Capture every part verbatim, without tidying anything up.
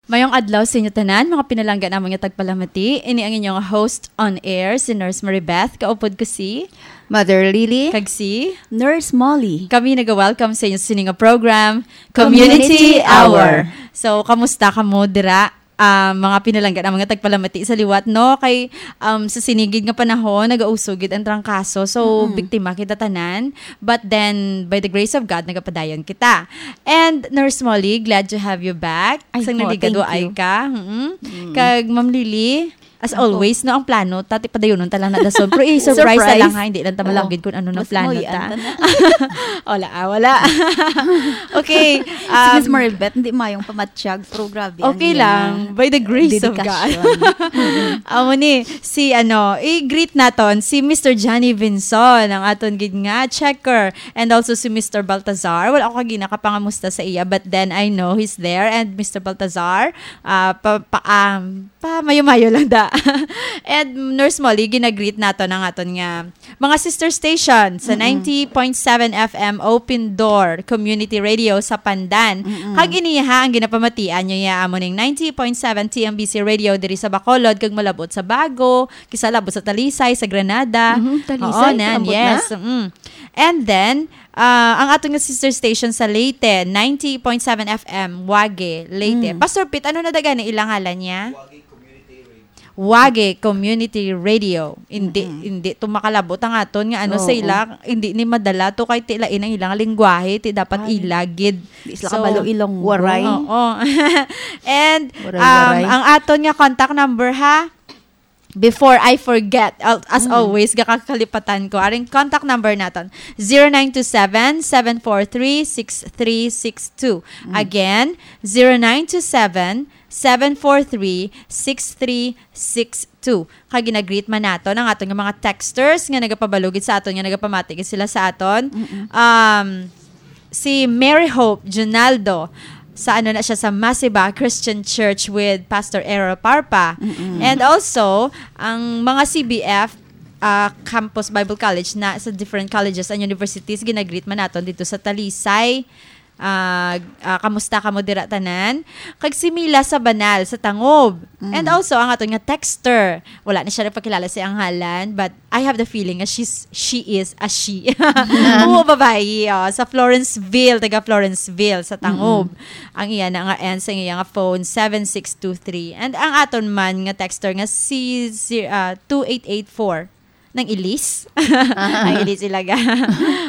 Mayong adlaw sa inyo tanan, mga pinalangga namon nga tagpalamati. Ini ang inyong host on air, si Nurse Maribeth. Kaupod ko si Mother Lily. Kag si Nurse Molly. Kami naga-welcome sa inyo sa sini nga program, Community Community Hour. Hour. So, kamusta kamo dira? Ah, mga pinalangga namon nga tagpalamati sa liwat, no? Kay, um, sa sinigid nga panahon, nagausog gid ang trangkaso. So, Mm-mm. biktima kita tanan. But then, by the grace of God, nagapadayon kita. And Nurse Molly, glad to have you back. Ay, Sang oh, naligaduay thank you. ka. Mm-mm. Mm. Kag Ma'am Lily, as Ako. always, no, ang plano, tati padayonon ta lang na dason. Pero i-surprise ta Surprise. lang, ha, hindi lang ta Wala. malagid kung ano nang Mas plano mulian ta. ta na. Wala, ah, wala. Okay, Si Miss um, Maribeth, hindi mayong pamatyag, pero grabe ang Okay iyang lang, by the grace of God. dedikasyon. Amo ni, si ano, i-greet naton si Mister Johnny Vinson, ang aton gid nga checker, and also si Mister Baltazar. Wala ako kagi nakapangamusta sa iya, but then I know he's there. And Mister Baltazar, ah, pa, pa, um, pa mayo-mayo lang da. And Nurse Molly, ginagreet naton ang aton nga mga sister station sa Mm-mm. ninety point seven F M Open Door Community Radio sa Pandan. Mm-mm. Kag iniha ang ginapamatian nyo ya amo ning ninety point seven T M B C Radio diri sa Bacolod kag malabot sa Bago, kisa labot sa Talisay, sa Granada. Mhm, Talisay, Oo, nan, abot na? yes. Mm. And then, ah, ang aton nga sister station sa Leyte, ninety point seven F M, Wage, Leyte. Mm. Pastor Pete, ano na daga ni ilang ngalan niya? Wage Community Radio. Hindi, Mm-mm. hindi to makalabot ang aton nga ano sa Oo. ila, hindi ni madala to kay tilain ang ilang lingwahe, ti dapat Ay. ila gid. Di sila So, kabalo ilong Waray. Oo. And, Waray, um, waray. ang aton nga contact number, ha? Before I forget, al-, as Mm. always, gakakalipatan ko. Aring contact number naton, zero nine two seven, seven four three, six three six two. Mm. Again, zero nine two seven, seven four three, six three six two. Kag ginagreet man naton ang aton nga mga texters nga nagapabalugid sa aton, nga nagapamati gid sila sa aton. Mm-mm. Um, si Mary Hope Junaldo, sa ano na siya, sa Masiba Christian Church with Pastor Errol Parpa. Mm-mm. And also, ang mga C B F, ah, Campus Bible College na sa different colleges and universities, ginagreet man naton dito sa Talisay. Ah, ah, kamusta kamo dira tanan? Kag si Mila sa Banal, sa Tangob. Mm. And also, ang aton nga texter. Wala na siya nagpakilala sa iyang ngalan, but I have the feeling nga she's, she is a she. Oo, babayi, oh, sa Florenceville, taga Florenceville, sa Tangob. Mm-mm. Ang iya na nga end sa iya nga phone, seven six two three. And ang aton man nga texter nga si, si, ah, two eight eight four. Nang ilis. Ang ilis ilaga.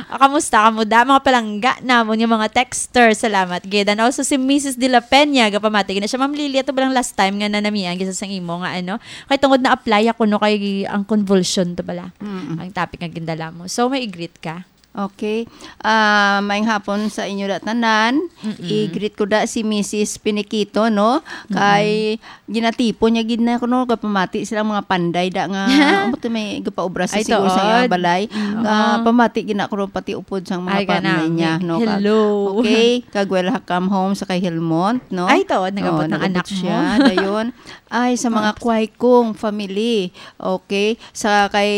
Ah, kamusta kamo da? Mga palangga namon nga mga texter. Salamat gid. And also si Missus De La Peña, gapamati gid na siya. Ma'am Lily, ato ba lang last time nga nanamian gid sa sang imo nga ano? Kay tungod na-apply ako, no, kay ang convulsion to bala. Mm-mm. Ang topic nga gindala mo. So, may i-greet ka? Okay. Ah, maayong hapon sa inyo da tanan. Mm-mm. I-greet ko da si Missus Piniquito, no? Mm-mm. Kay ginatipon niya gid na kuno, gapamati sila mga panday da nga, amo to may gapaobra sa Ay, siguro sa tuod. iya balay. Mm. Nga Oo. pamati gid na kuno pati upod sang mga Ay, panday kanami. niya, no? Ka-, Hello. okay, kag welcome home sa kay Helmont, no? Ay, tuod, nag-abot Oo, ng nag-abot anak siya, mo. dayon. Ay, sa mga Ah. Kway Kong family. Okay, sa kay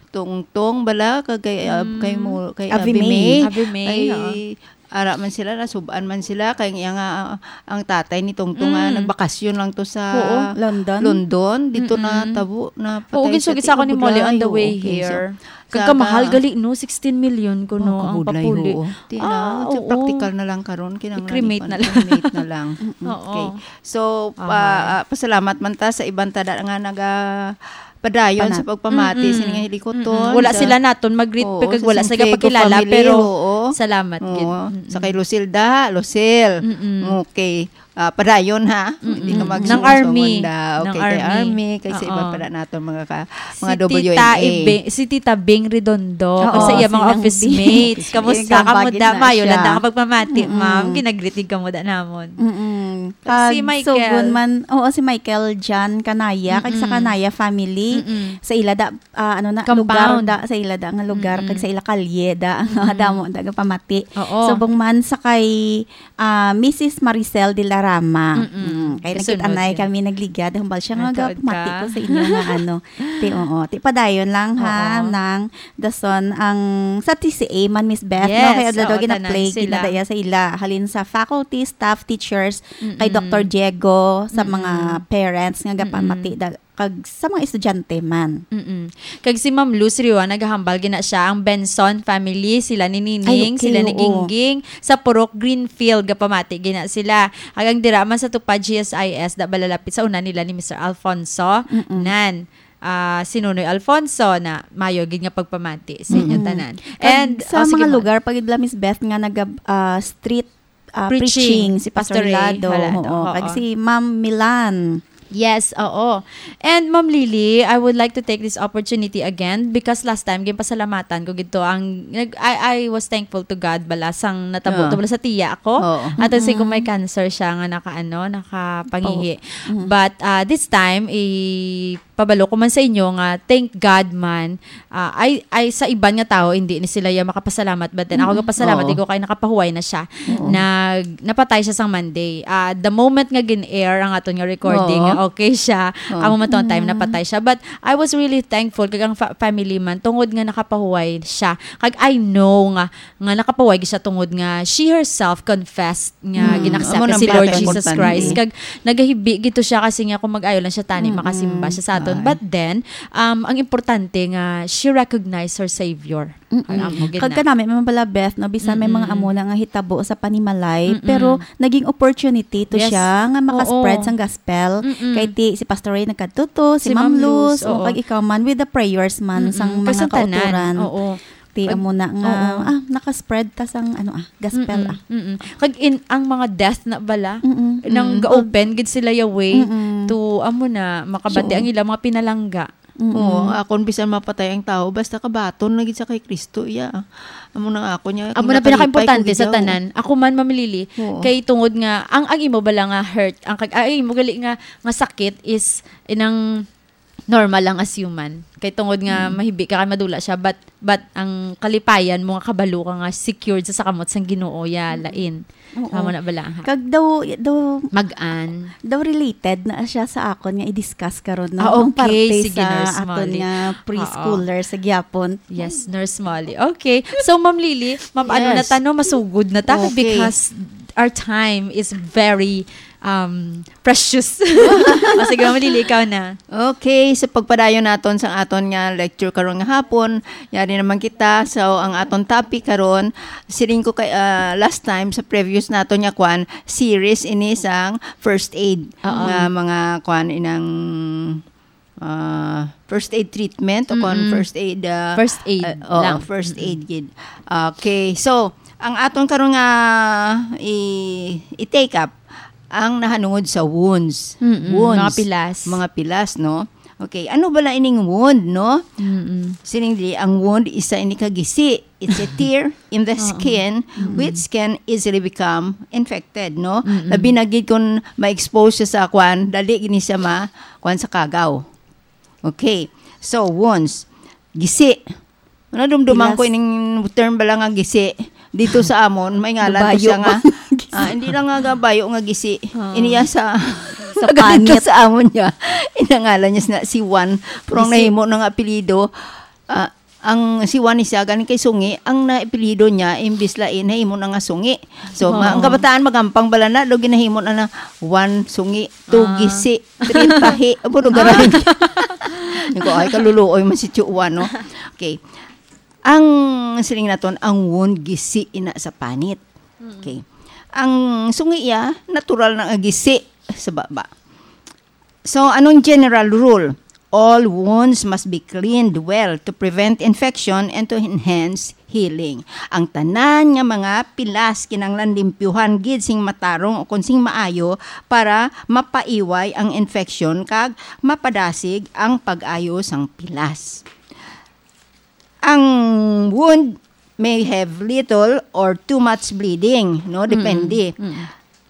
Tungtong bala, kag kay, ah, Mm. kay mo, kay Ave Ave May. May. Ave May, Ay, oo. ara man sila, nasub-an man sila, kay ang iya nga, ah, ang tatay ni Tungtong nga Mm. nagbakasyon lang to sa Oo. London? London, dito Mm-mm. na tabo, na Oo, patay ginsugi siya sa ako ni tiudlay. Molly on the way Okay, so, here. sa Kag kamahal ka- gali, no? Sixteen million ko, Oh, no, ang kabudlay, papuli. oo. Di na, Ah, so oo. practical na lang karon, kinahanglan I-cremate ipan-, na lang. cremate na lang. Mm-mm. Oo. Okay. So, pa-, Aha. ah, pasalamat man ta sa iban ta da nga naga-, padayon Pana- sa pagpamati Mm-mm. sini nga hilikoton Mm-mm. Wala sa sila naton mag-greet Oo, pa kag sa wala sa Santiago gapakilala, family, pero oo. salamat gid. Oo. Mm-mm. Sa kay Lucille da, Lucille. Mm-mm. Okay. Ah, padayon, ha? Mm-mm. Hindi ka Nang magsuon sa Army. Wanda. Nang Okay, kay Army. Army, kay sa iba Oo. pa na naton mga ka-, mga Si Tita W M A. Ibe-, si Tita Bing Redondo, Oo, kag sa iya si mga Nang office Bing. mates. Kamusta Ikaw, kamo bagid da? na Mayo lang siya. da ka pagpamati, Mm-mm. ma'am. Ginagreet gid kamo da namon. Mm-mm. Kag Si Michael. Sugon man, oo, si Michael Jan Kanaya, kag sa Mm-mm. Kanaya family, Mm-mm. sa ila da, ah, ano na, Compound. lugar da, sa ila da nga lugar, Mm-mm. kag sa ila kalye da, Mm-mm. damo da nga pamati. Oo. Subong man sa kay, ah, Missus Maricel de la Rama. Mm-mm. Mm. Kay kasunod nagkita na kami, nagligad, hambal siya nga, "Gapamati ko sa inyo nga ano." Ti, oo. Ti, padayon lang, ha, nang dason ang sa T C A man, Miss Beth, no? Kay adlaw gina-play gid na daya sa ila. Halin sa faculty, staff, teachers, kay Doctor Diego, sa mga parents nga gapamati da-, kag sa mga estudyante man. Mm-mm. Kag si Ma'am Luz Riwa, nagahambal gina siya, ang Benson family, sila ni Nining, sila ni Gingging, sa Purok Greenfield, gapamati gina sila. Kag ang dira man sa Tupad G S I S, da balalapit sa una nila ni Mister Alfonso, nan, ah, si Nonoy Alfonso, na mayo gid nga pagpamati sa inyo tanan. Kag and sa mga lugar pa gid bala, Miss Beth, nga naga, ah, street, ah, preaching, si Pastor Hilado, oo. Kag si Ma'am Milan. Yes, oo. And Ma'am Lily, I would like to take this opportunity again because last time, ginpasalamatan ko gid to ang, nag-, I, I was thankful to God bala sang natabo to bala sa tiya ako. Ato si ko may cancer siya nga naka, ano, nakapangihi. But, ah, this time, ipabalo ko man sa inyo nga, thank God man, ah, ay, ay sa iban nga tawo, hindi ni sila ya makapasalamat, but then ako gapasalamat ko kay nakapahuway na siya. Nag-, napatay siya sang Monday. Ah, the moment nga gin-air ang aton nga recording, nga okay siya, amo man to ang time napatay siya. But I was really thankful kag ang fa-, family man, tungod nga nakapahuway siya. Kag I know nga, nga nakapahuway siya tungod nga she herself confessed nga gin-accept si Lord Jesus Christ. Kag nagahibi gito siya kasi nga kung mag-ayo lang siya tani, makasimba siya sa aton. But then, um, ang importante nga she recognized her Savior. Kag kanami man bala, Beth, no, bisan may mga amo na nga hitabo sa panimalay, pero naging opportunity to siya nga makaspread sang gospel. Kay ti, si Pastor Ray nagkadto to, si Ma'am Luz, o kag ikaw man, with the prayers man sang mga kautoran. Ti, amo na nga, ah, nakaspread ta sang, ano, ah, gospel, ah. Kag in, ang mga death na bala, nang ga-open gid sila ya way to, amo na, makabati ang ilang mga pinalangga. Oo, akon bisan mapatay ang tawo, basta kabaton na gid sa kay Kristo, iya. Amo na nga ako niya, amo na pinakaimportante sa tanan. Ako man, Ma'am Lily, kay tungod nga, ang, ang imo bala nga hurt, ang kag-, ang imo gali nga, nga sakit is inang normal lang as human. Kay tungod nga mahibi ka kay madula siya, but, but ang kalipayan mo nga kabalo ka nga secured sa sakamot sang Ginoo, ya, lain. Oo. Tama na bala, ha? Kag daw, daw, mag-an, daw related na siya sa akon nga i-discuss karon, no? Ah, okay. Ang parte sa aton nga preschoolers sa gyapon. Yes, Nurse Molly. Okay. So, Ma'am Lily, ma'am, ano na ta, no? Masugod na ta because our time is very, um, precious. O, sige, Ma'am Lily, ikaw na. Okay, sa pagpadayon naton sa aton nga lecture karon nga hapon, yari naman kita. So, ang aton topic karon, siling ko kay, ah, last time sa previous naton nga kwan, series ini sang first aid nga mga kwan inang, ah, first aid treatment o kon first aid, ah, first aid lang. First aid gid. Okay, so ang aton karon nga i-, i-take up ang nahanungod sa wounds. Mm-mm, wounds, mga pilas. Mga pilas, no? Okay, ano bala ining wound, no? Mm-mm. Siling dili, ang wound, isa ini ka gisi. It's a tear in the skin, which can easily become infected, no? Mm-mm. Labi na gid kung ma-expose siya sa kwan, dali gini siya ma-, kwan sa kagaw. Okay. So, wounds. Gisi. Nadumduman ko ining term bala nga gisi. Dito sa amon, may ngalan ko siya nga, ah, hindi lang nga gabayo nga gisi. Iniya sa, sa pangit sa amon niya. Inangalan niya sina si Juan. Pero ang nahimo na nga apelyido, ah, ang si Juan ni siya, galing kay Sungi, ang naapelyido niya, imbis lain, nahimo na nga Sungi. So, ma-, ang kabataan, magampang bala na, do ginahimo na na Juan Sungi, two gisi, three tahi. Abo, do garay. Niko, ay, kaluluoy man si Tio Juan, no? Okay. Ang siling naton, ang wound gisi ina sa panit. Okay. Ang sungi iya, natural na nga gisi sa baba. So, anong general rule? All wounds must be cleaned well to prevent infection and to enhance healing. Ang tanan nga mga pilas kinahanglan limpyuhan gid sing matarong o kon sing maayo para mapaiway ang infection kag mapadasig ang pag-ayo sang pilas. Ang wound may have little or too much bleeding, no? Depende. Mm, mm.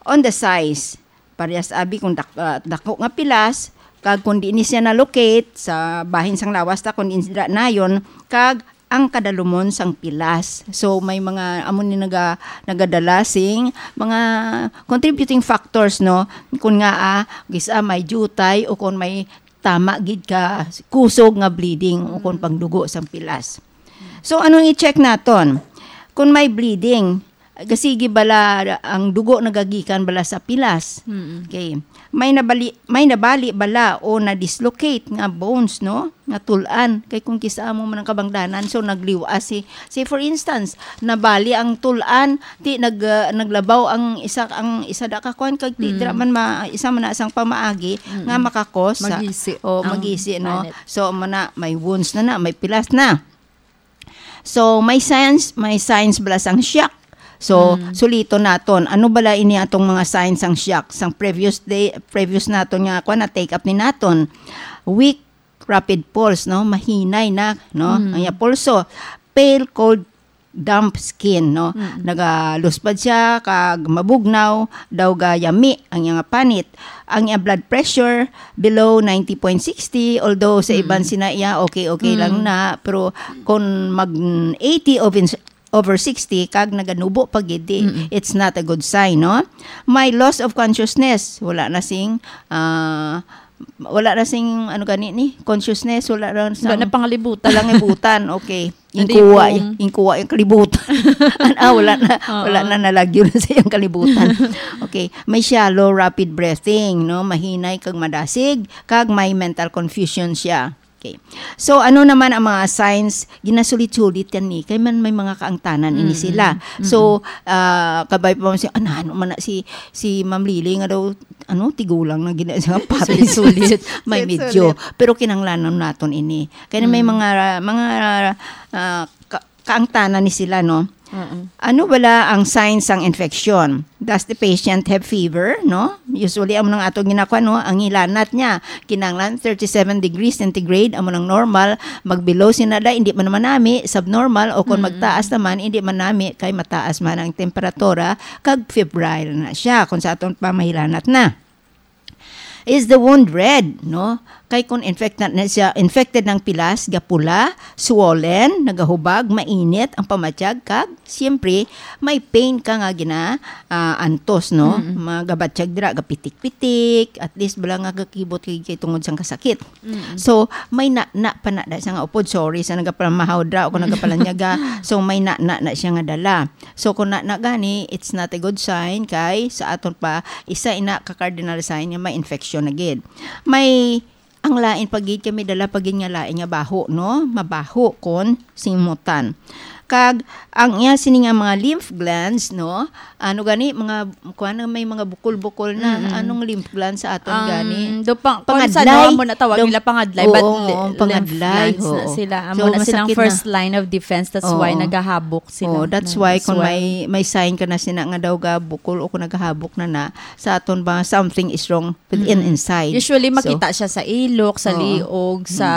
On the size. Parehas abi kung dak-, ah, dako nga pilas, kag kung di ni siya na-locate sa bahin sang lawas ta, kung di ni sila nayon, kag ang kadalumon sang pilas. So, may mga amo ni naga-, nagadala sing mga contributing factors, no? Kun nga, ah, kis-a may diutay o kun may tama gid ka kusog nga bleeding o kun pangdugo sang pilas. So, anong i-check naton? Kun may bleeding, gasigi bala ang dugo nagagikan bala sa pilas? Mm-mm. Okay. May nabali, may nabali bala o na-dislocate nga bones, no? Nga tul-an. Kay kung kis-a mo man ang kabangdanan, so nagliw-as si, say for instance, nabali ang tul-an, ti nag, ah, naglabaw ang isa, ang isa da ka kuan, kag ti Mm. dira man ma-, isa man na sang pamaagi Mm. nga makakos sa Magisi o ang magisi, no? Panit. So, amo na, may wounds na na, may pilas na. So, may signs, may signs bala sang shock. So, Mm. suliton naton, ano bala ini atong mga signs sang shock? Sang previous day, previous naton nga kuan na take up ni naton. Weak, rapid pulse, no? Mahinay na, no? Mm. Ang iya pulso. Pale, cold, damp skin, no? Mm. Nagaluspad siya, kag mabugnaw, daw gayami ang iya panit. Ang iya blood pressure below ninety point sixty, although sa iban Mm. sina iya, okay, okay lang Mm. na, pero kung mag eighty over, over sixty, kag naganubo pa gid, di, Mm-mm. it's not a good sign, no? May loss of consciousness, wala na sing, ah, wala na sing, ano gani ni, consciousness, wala na Wala sang na pangalibutan. Pangalibutan, okay. Hindi Inkuha, pong inkuha yung kalibutan. An-, ah, wala na, Oo. wala na, nalagyo na sa iyang kalibutan. Okay. May shallow, rapid breathing, no? Mahinay kag madasig, kag may mental confusion siya. Okay. So, ano naman ang mga signs? Ginasulit-sulit yan ni. Kay man may mga kaangtanan ini Mm, sila. mm, So, mm. ah, kabay pa man siya, "Ano, ano man na si, si Ma'am Lily nga daw, ano, tigulang na gina-, sa patay." Sulit-sulit. May Sulit-sulit. medyo. Pero kinahanglanon naton ini. Kaya may Mm. mga, mga, ah, ka-, kaangtanan ni sila, no? Mm-mm. Ano bala ang signs sang infection? Does the patient have fever, no? Usually, ang mga atong ginakwa, no, ang hilanat niya, kinahanglan thirty-seven degrees centigrade, amo nang normal, mag-below sina da, hindi man naman nami, subnormal, o kung Mm. magtaas naman, hindi man nami, kay mataas man ang temperatura, kag febrile na siya, kung sa aton pa mahilanat na. Is the wound red, no? Kay kung infected na siya, infected ng pilas, gapula, swollen, nagahubag, mainit ang pamatyag, kag, siyempre, may pain ka nga gina, ah, antos, no? Mm-mm. Magabatyag dira, gapitik-pitik, at least bala nga gakibot kay, kay tungod sang kasakit. Mm-mm. So, may na, na pa na, da siya nga upod, sorry, sa nagapalamahaw dira o kung nagapalanyaga. So, may na, na, na siya nga dala. So, kung na, na gani, it's not a good sign kay sa aton pa, isa ina ka cardinal sign nga may infection na gid. May, ang lain pa gid kay may dala pa gid nga lain nga baho, no? Mabaho kon simutan. Kag ang iya sini nga mga lymph glands, no? Ano gani, mga, kuwan, may mga bukol-bukol na. Mm-mm. Anong lymph glands sa aton Ang gani? do pa, kung sa Pangadlay. Daw mo na tawag Do-, nila pangadlay, but oo, li-, oo, ang lymph pangadlay, glands na oo. sila. Amo So, na silang masakit na. first line of defense. That's why Oo. nagahabok sila. Oo, that's Nang why kung swell. may, may sign ka na sina nga daw ga bukol o kung nagahabok na na, sa aton ba something is wrong within Mm-mm. inside. Usually, So, makita siya sa ilok, sa oo. liog, sa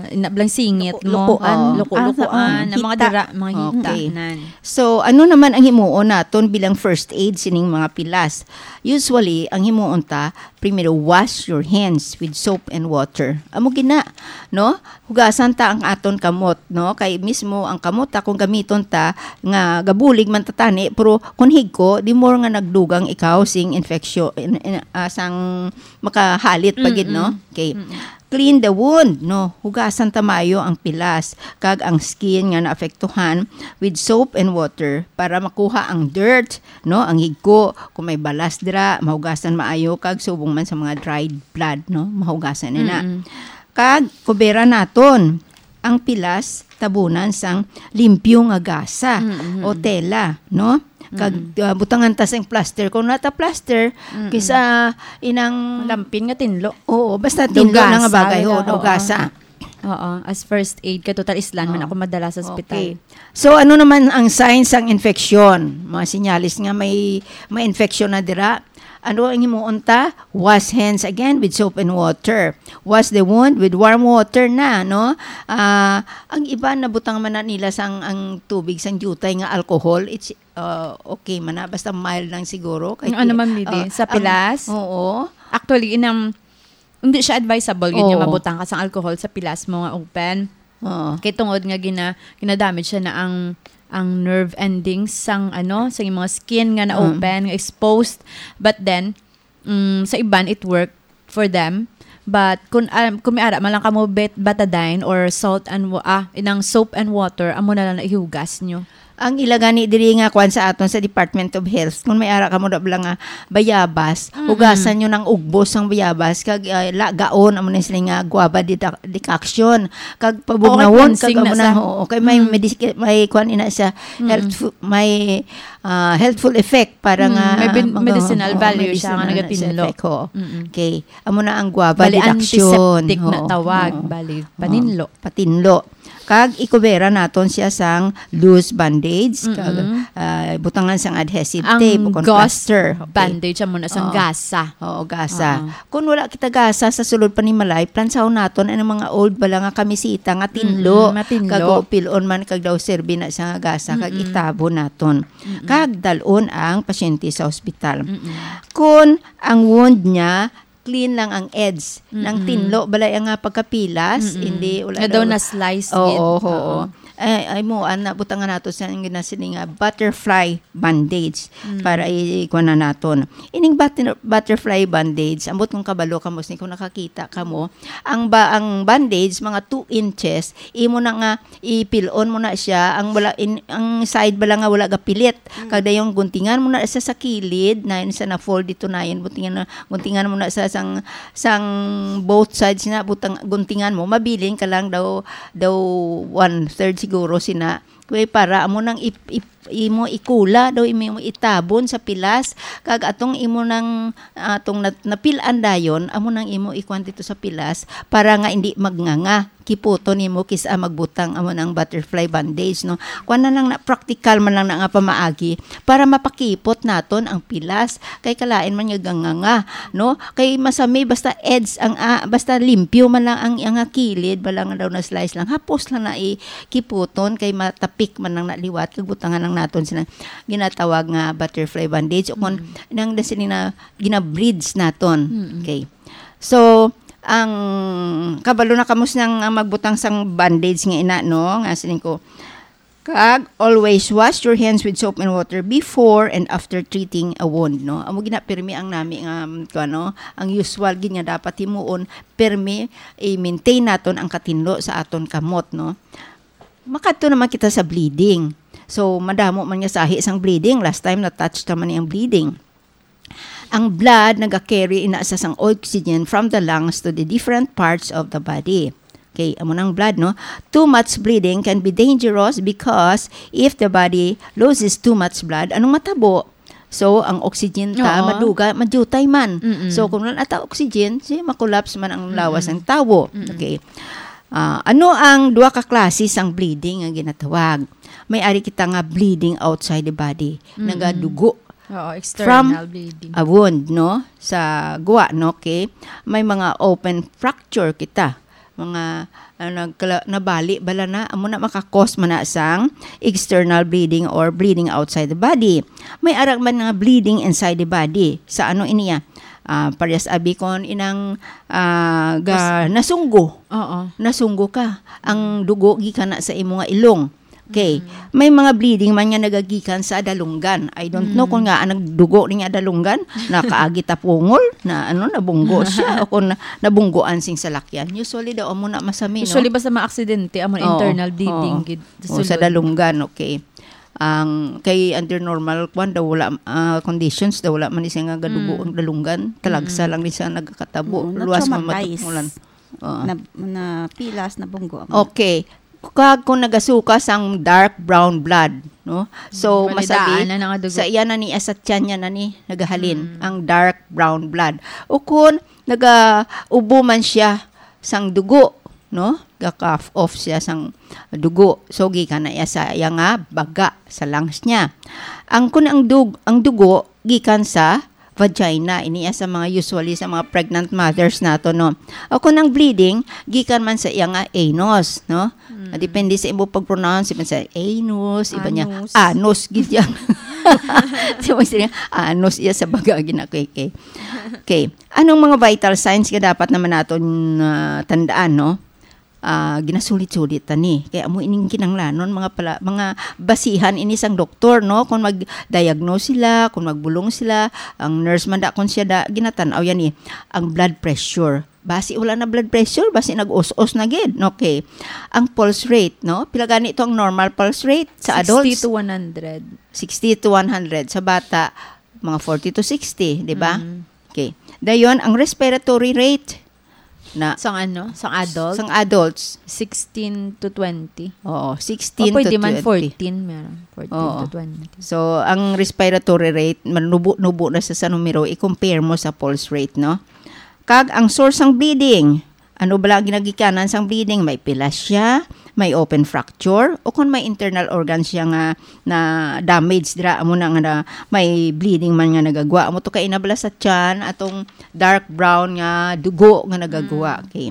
Mm. ina-, blang singit Luko-, mo. lukoan. Ah, luko-lukoan, Ah, na mga hita. dira, mga hita Okay. nan. So, ano naman ang himuon naton bilang first aid sining mga pilas? Usually, ang himuon ta, primero, wash your hands with soap and water. Amo gina, no? Hugasan ta ang aton kamot, no? Kay mismo ang kamot ta, kung gamiton ta, nga gabulig man ta tani, pero kung higko, the more nga nagdugang ikaw sing infection, in, in, ah, sang makahalit pa gid, no? Mm-mm. Okay. Mm-mm. Clean the wound, no? Hugasan ta maayo ang pilas kag ang skin nga naapektuhan with soap and water para makuha ang dirt, no? Ang higko, kung may balas dira, mahugasan maayo kag subong man sa mga dried blood, no? Mahugasan na na. Mm-mm. Kag kubera naton ang pilas, tabunan sang limpyo nga gasa Mm-mm. o tela, no? Kag, Mm-mm. ah, butangan ta sang plaster. Kung nata plaster, Mm-mm. kisa inang Lampin nga tinlo. Oo, basta Daw tinlo na nga gasa, bagay, wala, oo, daw oo. gasa. Oo, as first aid kay total islan man Oo. ako madala sa ospital. Okay. So, ano naman ang signs sang infection? Mga senyales nga may, may infection na dira. Ano ang himuon ta? Wash hands again with soap and water. Wash the wound with warm water na, no? Ah, ang iba nabutang man na nila sang ang tubig sang diutay nga alcohol. It's, uh, okay man na, basta mild lang siguro. Kay Ang ano ti-, man, Midi? uh, Sa ang pilas? Oo. Actually, inang, hindi siya advisable yun nga Oo. mabutang ka sang alcohol sa pilas mo nga open. Oo. Kay tungod nga gina-, gina-damage siya na ang, ang nerve endings sang, ano, sa mga skin nga na-open, nga exposed. But then, mm, sa iban, it worked for them. But kung, um, kung may ara man lang kamo bet-, betadine or salt and wa-, ah, inang soap and water, amo na lang na ihugas nyo. Ang ila gani diri nga kuan sa aton sa Department of Health, kung may ara kamo da bala nga bayabas, Mm-mm. hugasan nyo ng ugbos ang bayabas, kag, ah, lagaon, amo na sila nga guava dida-, decoction. Kag pabugnawon, cleansing kag na amo sa na, oo, kay may Mm. medis-, may kuan ina siya, Mm-mm. healthful, may, ah, healthful effect para Mm, nga may bin-, mag-, medicinal oo, value siya nga medicinal na siya nagatinlo. effect, oo. Mm-mm. Okay. Amo na ang guava Bali, deduction. antiseptic na Oo. tawag. Oo. Bali, Oo. paninlo. Patinlo. Kag ikubera naton siya sang loose bandage, kag, Mm-mm. ah, butangan sang adhesive Ang tape o kung gauze plaster. Okay. bandage, amo na sang Oo. gasa. Oo, gasa. Oo. Kung wala kita gasa sa sulod panimalay, plansahon naton ang mga old bala nga kamisita nga tinlo. Mm-mm, matinlo. Kag upilon man kag daw serbi na siya nga gasa, kag Mm-mm. itabon naton. Mm-mm. Kag dalon ang pasyente sa ospital. Mm-mm. Kung ang wound niya, clean lang ang edge. Nang Mm-mm. tinlo, balay ang nga pagkapilas, Mm-mm. hindi, wala Nga daw daw. na-slice Oo, gid. oo. Oo. Eh, ay mo, ana, butangan nato sa ang ginasini nga butterfly bandage Mm. para i-, ikuha na naton. Ining butter-, butterfly bandage, ambot kung kabalo kamo, sini kung nakakita kamo, ang ba-, ang bandage, mga two inches, imo na nga ipilon mo na siya, ang wala in, ang side bala nga wala gapilit. Mm. Kag dayon guntingan mo na siya sa kilid, na yun sa na-fold dito na yun, guntingan na, guntingan mo na sa sang, sang both sides na, butang, guntingan mo, mabilin ka lang daw, daw one third siguro sina. Kaya para amo nang ip-, ip-, imo ikula, daw imo, imo itabon sa pilas, kag atong imo nang, atong nat-, napilan dayon, amo nang imo ikuan dito sa pilas, para nga hindi magnganga. Kiputon nimo kis-a magbutang amo nang butterfly bandage, no? Kuan na lang na, praktikal man lang na nga pamaagi para mapakipot naton ang pilas. Kay kalain man nga ganganga, no? Kay masami basta edge ang, ah, basta limpyo man lang ang, ang kilid, bala nga daw na slice lang. Hapos lang na ikiputon kay matapik man lang na liwat kag butangan lang naton sina ginatawag nga butterfly bandage o kon Mm. nang da sini na gina-bridge naton. Mm. Okay. So, ang kabalo na kamo sang, ah, magbutang sang bandage nga ina, no? Nga siling ko, kag always wash your hands with soap and water before and after treating a wound, no? Amo gina pirmi ang nami nga, um, kuwan, no? Ang usual gid nga dapat himuon, pirmi i-maintain naton ang katinlo sa aton kamot, no? Makadto naman kita sa bleeding. So, madamo man nga sahi sang bleeding. Last time, na-touch naman ni ang bleeding. Ang blood naga-carry ina sa sang oxygen from the lungs to the different parts of the body. Okay, amo nang blood, no? Too much bleeding can be dangerous because if the body loses too much blood, anong matabo? So, ang oxygen ta, Oo. maduga, madutay man. Mm-mm. So, kung wala ta oxygen, si makollapse man ang lawas Mm-mm. ng tawo. Mm-mm. Okay. Ah, ano ang duha ka klase sang bleeding nga ginatawag? May ari kita nga bleeding outside the body, Mm-mm. nagadugo Oo, from external bleeding. a wound, no? Sa guwa, no? Okay? May mga open fracture kita. Mga, ah, nagkala-, nabali bala na, amo na maka-cause man na sang external bleeding or bleeding outside the body. May ara man nga bleeding inside the body. Sa ano iniya? Ah, parehas abi kon inang, ah, ga-, nasunggo. Oo. Nasunggo ka. Ang dugo gikan na sa imo nga ilong. Okay. Mm. May mga bleeding man nga nagagikan sa dalunggan. I don't know Mm. kung nga ang nagdugo niya dalunggan, nakaagi ta pungol, na ano, nabunggo siya, o kung na-, nabunggoan sing salakyan. Usually daw, amo na masami, no? Usually, basta mga aksidente, amo na Oo, internal bleeding oo. gid sa Oo, sa sulod. dalunggan, okay. Ang kay under normal kwan daw wala, ah, conditions daw wala man ni siya nga gadugo Mm. ang dalunggan. Talagsa Mm. lang ni siya nagkatabo. Oo, Luwas na-traumatize. mamatapmulan. Oo. Na, na pilas, nabunggo. Okay. Kag kung nagasuka sang dark brown blood, no? So, Mm, masagi, malidaan na nga dugo. sa iya na ni, sa tiyan niya na ni nagahalin Mm. ang dark brown blood. O kung nagaubo man siya sang dugo, no? Ga-cough off siya sang dugo. So, gikan na iya sa iya nga baga, sa lungs niya. Ang, kung ang dug-, ang dugo gikan sa vagina, ini iya sa mga usually sa mga pregnant mothers nato, no? O kung ang bleeding, gikan man sa iya nga anus, no? Mm. Depende sa imo pag-pronounce, iban sa anus, iban niya, Anus. anus, gid yan. Di ba sila, anus iya sa baga, gina-, okay, okay. Okay. Anong mga vital signs nga dapat naman naton, ah, tandaan, no? ah, ginasulit-sulit ta ni. Kay amo ining kinahanglanon, mga pala, mga basihan ini sang doktor, no? Kung mag-diagnose sila, kung magbulong sila, ang nurse man da, kung siya da, ginatan-aw yan ni, ang blood pressure. Basi wala na blood pressure, basi nag-us-us na gid. Okay. Ang pulse rate, no? Pila gani to ang normal pulse rate sa adults? Sixty to one hundred. Sixty to one hundred. Sa bata, mga forty to sixty, di ba? Mm. Okay. Dayon, ang respiratory rate na Sang ano? Sang adult? Sang adults. Sixteen to twenty. Oo, O, sixteen to pwede man twenty. Fourteen, meron. Fourteen Oo. To twenty. So, ang respiratory rate, manubo-nubo na sa, sa numero, i-compare mo sa pulse rate, no? Kag ang source sang bleeding, ano bala ang ginagikanan sang bleeding? May pilas siya, may open fracture, o kung may internal organ siya nga na damage dira, amo na nga na may bleeding man nga nagagwa. Amo to kay ina bala sa tiyan, atong dark brown nga dugo nga nagagwa. Mm. Okay.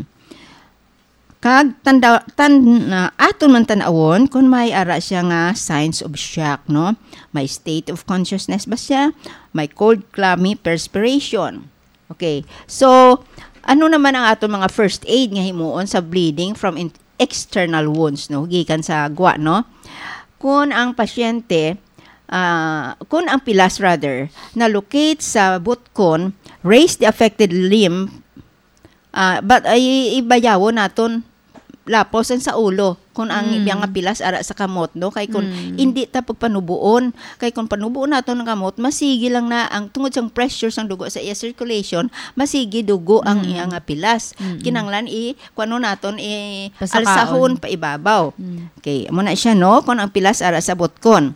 Kag tanda, tan, na, aton man tan-awon kung may ara siya nga signs of shock, no? May state of consciousness ba siya? May cold, clammy perspiration. Okay. So, ano naman ang aton mga first aid nga himuon sa bleeding from in-, external wounds, no? Gikan sa gwa, no? Kung ang pasyente, ah, kung ang pilas, rather, na-locate sa butkon, raise the affected limb, ah, but ay ibayawon naton lapos ang sa ulo kung ang Mm. iya nga pilas ara sa kamot, no? Kay kung Mm. hindi ta pagpanubuon, kay kung panubuon naton ang kamot, masigi lang na ang tungod sang pressure sang dugo sa iya circulation, masigi dugo ang Mm. iya nga pilas. Mm. Kinahanglan i-, kuno naton, i-, Pasakaon. Alsahon pa ibabaw. Mm. Okay, amo na siya, no? Kung ang pilas ara sa butkon.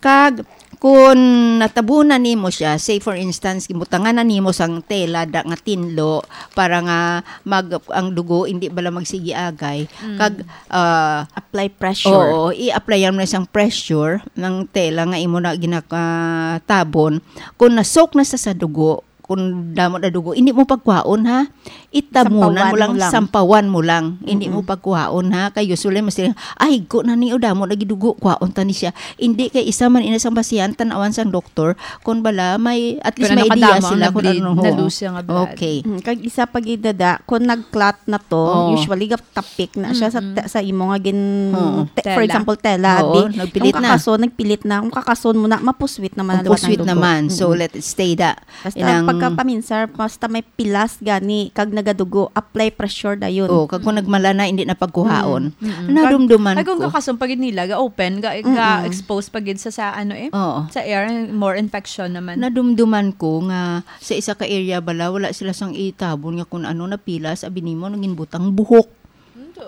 Kag kun natabunan nimo siya, say for instance, gibutangan na nimo sang tela da nga tinlo para nga mag-, ang dugo hindi bala magsigi agay. Mm. Kag, ah, Apply pressure. Oo, i-applyan mo na sang pressure ng tela nga imo na ginakatabon. Kung nasok na sa, sa dugo, kung damo na dugo, hindi mo pagkuhaon, ha? Itabunan Sampawan mo lang, mo lang. Sampawan mo lang. Hindi Mm-mm. mo pagkuhaon, ha? Kay usually, mas sila, "Ay, higko na ni, o, damo na gidugo, kuhaon ta ni siya." Hindi, kay isa man ina sang basihan, tan-awan sang doktor, kung bala, may, at least Pero may idea nakadamo ang sila kung nag-bleed, ano, ho. Na-lose siya nga blood. Okay. Mm, kag isa pa gid, dada, kung nag-clot na to, Oo. usually gap-, tapik na siya sa Mm-mm. te-, sa imo nga gin-, Oo. te-, for Tela. example, tela, Oo, abi. Nagpilit Kung na. kakason, nagpilit na. Kung kakason mo na, mapuswit naman ang Mapuswit liwat ng dugo. naman. So, Mm-mm. let it stay da. Basta Inang pagkapaminsar, basta may pilas gani, kag nagadugo, apply pressure dayon. Oh, kag kung nagmala na, hindi na pagkuhaon. Mm, mm. Nadumduman Kag, kag kung ko. kakason pa gid nila, ga-open, ga, Mm-mm. ga-expose pa gid sa, sa ano eh, Oo. sa air, more infection naman. Nadumduman ko nga sa isa ka area bala, wala sila sang itabon nga kung ano, napilas, abi nimo, naging butang buhok.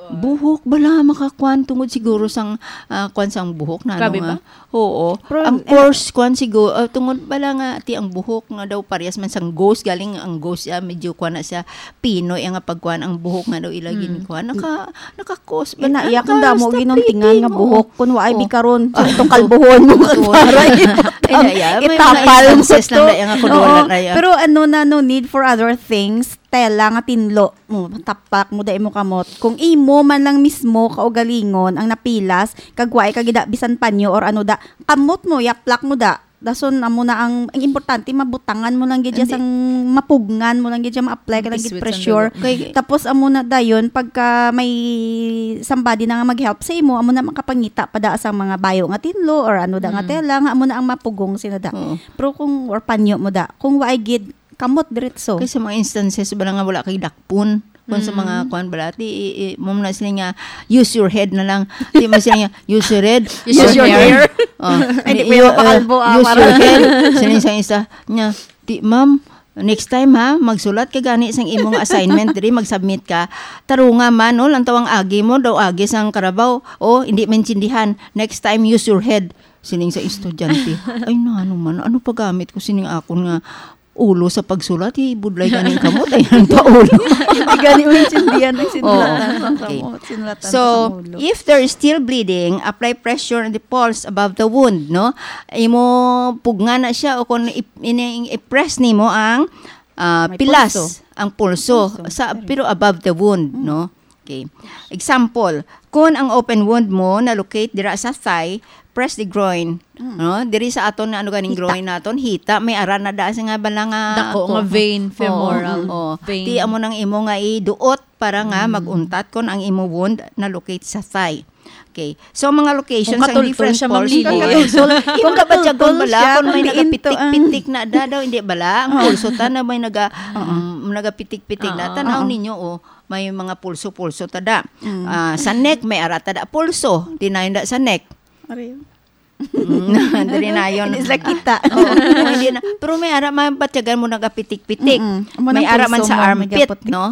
Buhok bala makakuan tungod siguro sang, ah, kuan sang buhok na Grabe ano nga. ba? Oo. Pero Ang in- coarse kuan siguro, ah, tungod bala nga ti ang buhok nga daw parehas man sang ghost, galing ang ghost, ah, medyo kuan na siya, pinoy ang pagkuan ang buhok nga daw ila Mm. ginkuan. Naka, naka-cause ba Ina, na? iya kung damo Naka-stop ginuntingan nga bleeding, oo. buhok, kung waay Oh. bikaron, sa itong kalbuhon mo, Kalbuhon. para Ina, iya, may mga itapal mo instances lang to. na iya nga kung Oo, wala na iya. pero ano na, no need for other things, tela nga tinlo mo, tapak mo da imo kamot. Kung imo man lang mismo kaugalingon ang napilas, kag waay ka gida bisan panyo or ano da, kamot mo, yaplak mo da. Dason amo na ang, ang importante, mabutangan mo lang gid siya Hindi. sang mapugngan mo lang gid siya, ma-apply ka lang gid Biswit sang pressure. dugo. Kay Tapos amo na dayon, pagka may somebody na nga mag-help sa imo, amo na makapangita pa da sang mga bayo nga tinlo or ano da nga Mm. tela, nga amo na ang mapugong sina da. Oo. Pero kung, or panyo mo da, kung waay gid, kamot diretso. Kay sa mga instances ba nga wala kay dakpon? Kung sa Mm. mga kuan bala, ti, i, i, mo na sila nga, "Use your head" na lang. Di man sila nga, "Use your head." Use your hair. Oh, Ay, di di, po yung you, uh, mapakalbo, ah, use parang your head. Sila sa isa, niya, "Di, ma'am, next time ha, magsulat ka gani sang imong assignment diri, mag-submit ka. Tarunga man, no, lang tawang agi mo, daw agi sang karabaw. O, hindi maintindihan. Next time, use your head." Sining sa estudyante. "Ay, na, ano man, ano pa gamit ko sining akon nga ulo sa pagsulat, ibudlay ganing kamot, ayan pa ulo." Hindi gani maintindihan ang Oo. sinulatan sa Okay. kamot, sinulatan So, sa ulo. if there is still bleeding, apply pressure on the pulse above the wound, no? Imo pugna na siya o kung ip-, ini-, i-press nimo ang, ah, May pilas, pulso. ang pulso, Pulso. sa, Sorry. pero above the wound, Mm. no? Okay. Example, kung ang open wound mo na-locate dira sa thigh, press the groin. Mm. No? Diri sa aton nga ano ganing Hita. Groin naton, hita, may ara na da sa nga bala nga Dako ko-, nga vein, oo, femoral oo. Vein. Ti amo nang imo nga iduot para nga Mm. mag-untat kon ang imo wound na-locate sa thigh. Okay. So, mga locations Kung ang katultol different siya, pulse. Ma'am Lily. Kung katultol, Kung kung kabatyagon katultol bala, siya, kung may kung diin to, ah. nagapitik-pitik na da, daw, hindi bala. Ang Oo. pulso ta na may naga, Oo. mm, nagapitik-pitik na. Oo, Tanaw oo. ninyo, oh, may mga pulso-pulso ta da. Mm. Ah, sa neck, may ara ta da pulso. Di na yun da sa neck. Ariyo. Mm, diri na yun. Hindi sila kita. Oo, oo, hindi na. Pero may ara, mabatyagan mo nagapitik-pitik. Mm-mm. Amo May nang ara man pulso sa mo, armpit, nagaputik. no?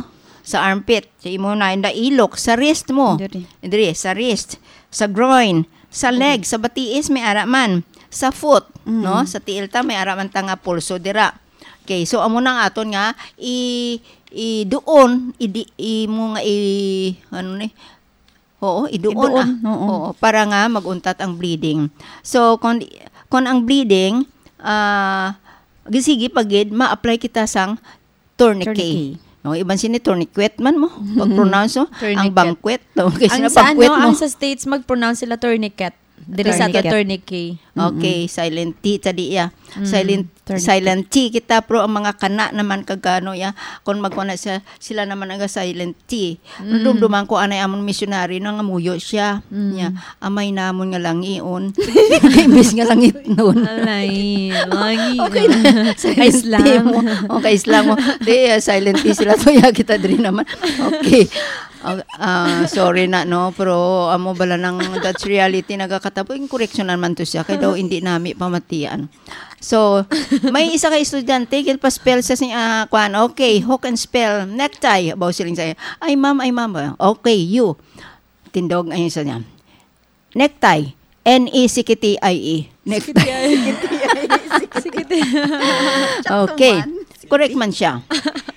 Sa armpit. Sa imo na, inda ilok, sa wrist mo. Diri. Diri, sa wrist, sa groin, sa Diri. leg, sa batiis, may ara man. Sa foot, Mm. no? Sa tiil ta, may ara man ta nga pulso dira. Okay, so amo nang aton nga i, i doon, i, di, imo nga i, ano ni? Oo, iduon, Iduon, ah. oo. Oo, para nga mag-untat ang bleeding. So, kung, kung ang bleeding, ah, gisigi pa gid, ma-apply kita sang tourniquet. Tourniquet. No, iban sini tourniquet man mo, pag-pronounce, no? Ang Tourniquet. banquet, no? Kasi Ang na sa, banquet, ano, no? ang sa States, mag-pronounce sila tourniquet. Diri sa ato, Tourniquet. tourniquet. Okay, Mm-mm. silent T, tadi, ya. Mm, Silent, tourniquet. silent T kita, pero ang mga kana naman kag ano, ya, kung magkuha na siya, sila naman ang silent T. Mm. Dumduman ko, anay amon missionary, nangamuyo siya. Mm. Ya, amay namon nga langion. Imbis nga langitnon. Alay, langion. Okay na. Silent Kay T slang. mo. Okay, slang mo. Di, ah, silent T sila. Tuya kita diri naman. Okay. Ah, ah, sorry na, no? Pero amo bala nang that's reality, nagakatabo. Yung correction naman to siya. Kaya daw, hindi nami pamatian. So, may isa ka estudyante, ginpa-spell sa sing-, ah, kwan. Okay, who can spell necktie? Abaw siling sa'yo. Ay, ma'am, ay, ma'am. Okay, you. Tindog, ayun sa niya. Necktie. N E C K T I E. Necktie. Sikiti. Okay. Sakto man. Correct man siya.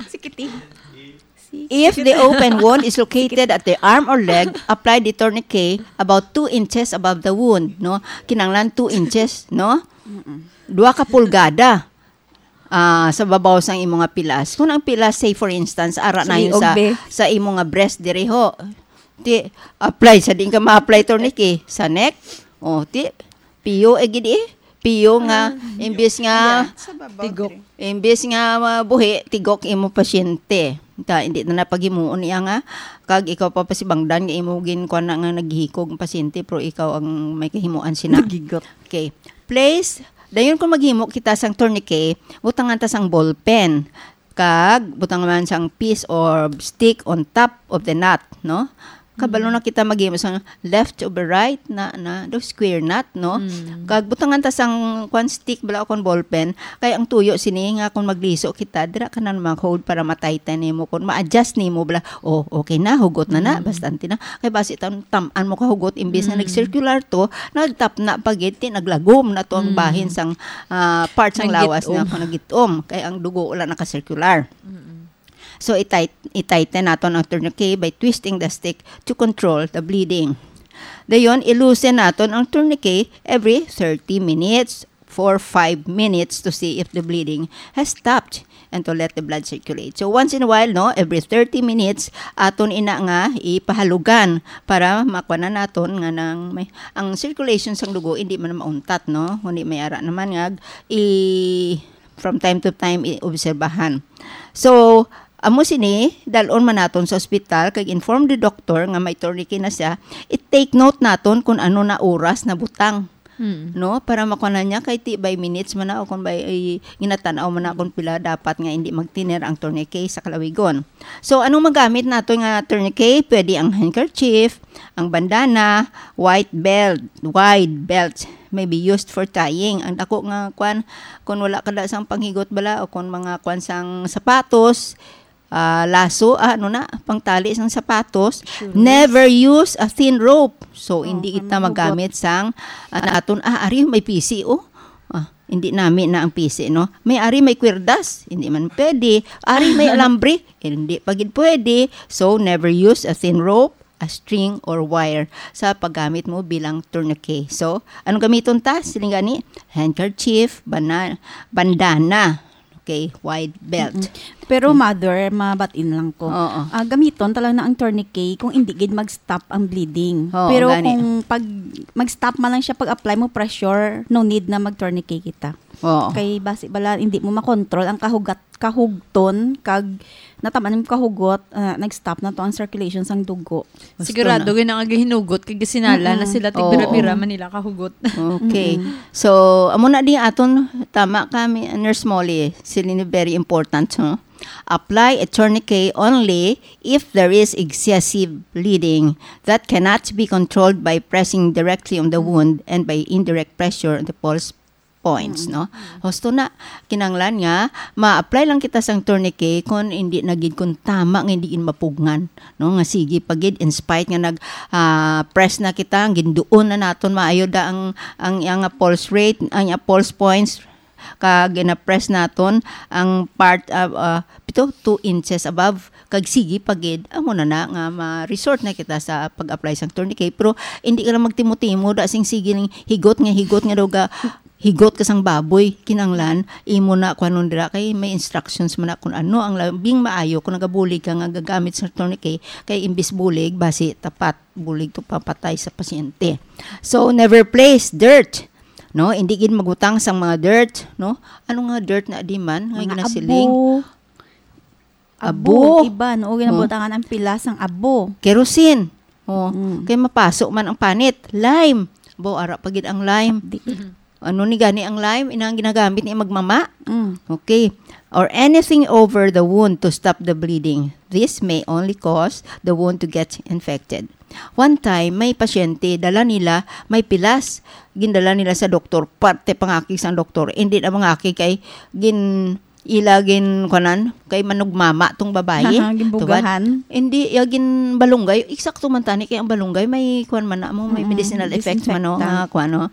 Sikiti. If the open wound is located at the arm or leg, apply the tourniquet about two inches above the wound, no? Kinahanglan two inches, no? Mm-mm. Dua ka pulgada, ah, sa babaw sang imo nga pilas. Kung ang pilas, say for instance, ara na Sige, yun sa, ogbe. sa imo nga breast diri ho. Ti, apply sa di ka ma-apply tourniquet sa neck. O, ti, piyo, eh, gid, eh. Piyo nga, Ah, imbis nga, yeah, sa babaw Tigok. diri. imbis nga, ah, buhi, tigok imo pasyente. Ta, hindi na napaghimuon niya nga. Kag ikaw pa pasibangdan nga imo gin-, kuwan na nga naghikog ang pasyente, pero ikaw ang may kahimuan sina. Naghigot. Okay. Place, dayon kung maghimo kita sang tourniquet, butangan ta sang ballpen. Kag butangan man sang piece or stick on top of the knot, no? Kabalo Mm. na kita maghimo sang left over right na, na, do square knot, no? Mm. Kag butangan ta sang kwan stick bala o kon ballpen, kay ang tuyo sini nga kung magliso kita, dira ka na mag-hold para ma-tighten nimo, kung ma-adjust nimo bala, oh, okay na, hugot na na, Mm. bastante na. Kay basi tam-, tam-an mo ka hugot, imbis na Mm. nag-circular to, nagtapna pa gid, ti naglagom na to ang Mm. bahin sang, ah, part sang lawas na Naggitom. kung naggitom. Kay ang dugo wala naka-circular. Mm-mm. So, i-tight-, i-tighten naton ang tourniquet by twisting the stick to control the bleeding. Dayon, i-loosen naton ang tourniquet every thirty minutes for five minutes to see if the bleeding has stopped and to let the blood circulate. So, once in a while, no, every thirty minutes, aton ina nga ipahalugan para makuha na naton nga nang may, ang circulation sang dugo hindi man mauntat, no? Kundi may ara naman nga i-, from time to time i-obserbahan. So, amo sini, dalon man naton sa ospital kag inform the doctor nga may tourniquet na siya, i-take note naton kung ano na oras na butang. Mm. No? Para makuha na niya kay ti by minutes man na o kung by, ay, ginatan-aw man na kung pila dapat nga hindi magtiner ang tourniquet sa kalawigon. So, anong magamit nato nga tourniquet? Pwede ang handkerchief, ang bandana, white belt, wide belt may be used for tying. Ang dako nga kwan, kung wala ka da sang panghigot bala o kung mga kwan sang sapatos, ah, laso, ah, ano na, pangtali sang sapatos, Shoes. never use a thin rope. So, Oh, hindi kita kami magamit sang, ah, naton, ah, ari may pisi, oh. Ah, hindi nami na ang pisi, no? May ari may kwirdas, hindi man pwede. Ari may alambre, hindi pa gid pwede. So, never use a thin rope, a string, or wire sa paggamit mo bilang tourniquet. So, anong gamiton ta? Siling gani, handkerchief, bana-, bandana. Okay, wide belt. Mm-mm. Pero, mother, mabatin lang ko. Oo. Ah, gamiton talaga na ang tourniquet kung hindi gid mag-stop ang bleeding. Oo, Pero gani. kung pag mag-stop man lang siya pag-apply mo pressure, no need na mag-tourniquet kita. Oo. Kay basi bala, hindi mo makontrol ang kahugat, kahugton, kag nataman yung kahugot, ah, nag-stop na to ang circulation sang dugo. Gusto Sigurado na. Gid nga gihinugot kay gisinala na Mm-mm. sila, tigbira-bira Oo. man nila kahugot. Okay. Mm-mm. So, amo na di aton, tama ka, mi-, Nurse Molly, sila ni very important, no? Apply a tourniquet only if there is excessive bleeding that cannot be controlled by pressing directly on the wound and by indirect pressure on the pulse points, Mm. no? Husto na, kinanglan nga, ma-apply lang kita sang tourniquet kung hindi na gid, kung tama nga hindi gid mapugngan, no? Nga sige pa gid, in spite nga nag, ah, press na kita, ang ginduon na naton maayo da ang, ang, ang pulse rate, ang pulse points, kag gina-press naton ang part, ah, ah, pito, two inches above, kag sige pa gid, amo na na nga ma-resort na kita sa pag-apply sang tourniquet. Pero hindi ka lang magtimo-timo da sing sige ning higot nga higot nga daw ga higot ka sang baboy, kinanglan imo na kuhanon dira kay may instructions man na kung ano ang labing maayo kung nagabulig ka nga gagamit sa tourniquet, kay imbis bulig basi tapat bulig to papatay sa pasyente. So never place dirt, no? Hindi gid magbutang sang mga dirt, no? Ano nga dirt na di man nga Mga ginasiling? abo. Abo. Abo. Iba, no? O, Oh. ginabutangan ang pilas sang abo. Kerosene. Oh, Mm. kay mapaso man ang panit. Lime. Bo, ara pa gid ang lime. Di. Ano ni gani ang lime? Inang ginagamit ni magmama? Mm. Okay. Or anything over the wound to stop the bleeding. This may only cause the wound to get infected. One time, may pasyente, dala nila, may pilas. Gindala nila sa doktor, parte pangakig sang doktor. Hindi na mangakig kay gin ila gin kuanan kay manugmama tong babayi. Aha, ginbugahan. Tubad. Hindi, ya gin balunggay. Eksakto man tani kay ang balunggay may kuan man na mo, may Mm, medicinal effect man, no, disinfectant. Nga kuan, no.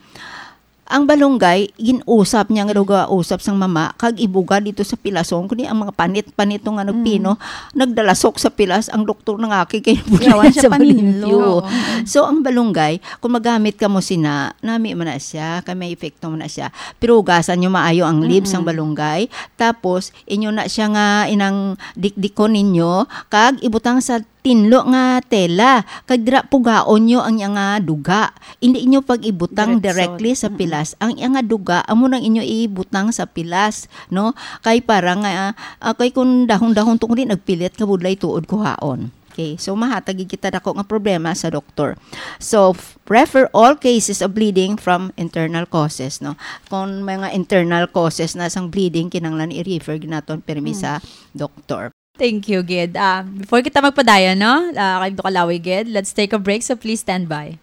Ang balunggay, gin-usap niya nga daw gausap sang mama, kag ibuga dito sa pilason. Kundi ang mga panit-panit nga nagpino, Mm. nagdalasok sa pilas, ang doktor nangakig kay Yawan siya sa paninlo. Paninlo. Oo. So, ang balunggay, kung magamit ka mo sina, nami man na siya, kay may epekto man na siya. Pero hugasan nyo maayo ang leaves sang Mm-mm. balunggay. Tapos, inyo na siya nga inang dikdikon ninyo, kag ibutang sa tinlo nga tela, kag dira pugaon nyo ang iya nga duga. Hindi nyo pag-ibutang Diretso. directly sa Mm-mm. pilas. Ang iya nga duga, amo nang inyo ibutang sa pilas, no? Kay para nga, ah, kay kung dahon-dahon tong di, nagpilit ka budlay tuod kuhaon. Okay, so mahatag gid kita dako nga problema sa doktor. So, f-, refer all cases of bleeding from internal causes, no? Kung mga internal causes na sang bleeding, kinahanglan i-refer gid naton pirmi Mm. sa doktor. Thank you, gid. Ah, before kita magpadayon, no? Ah, kay Doktor Kalawi, gid, let's take a break, so please stand by.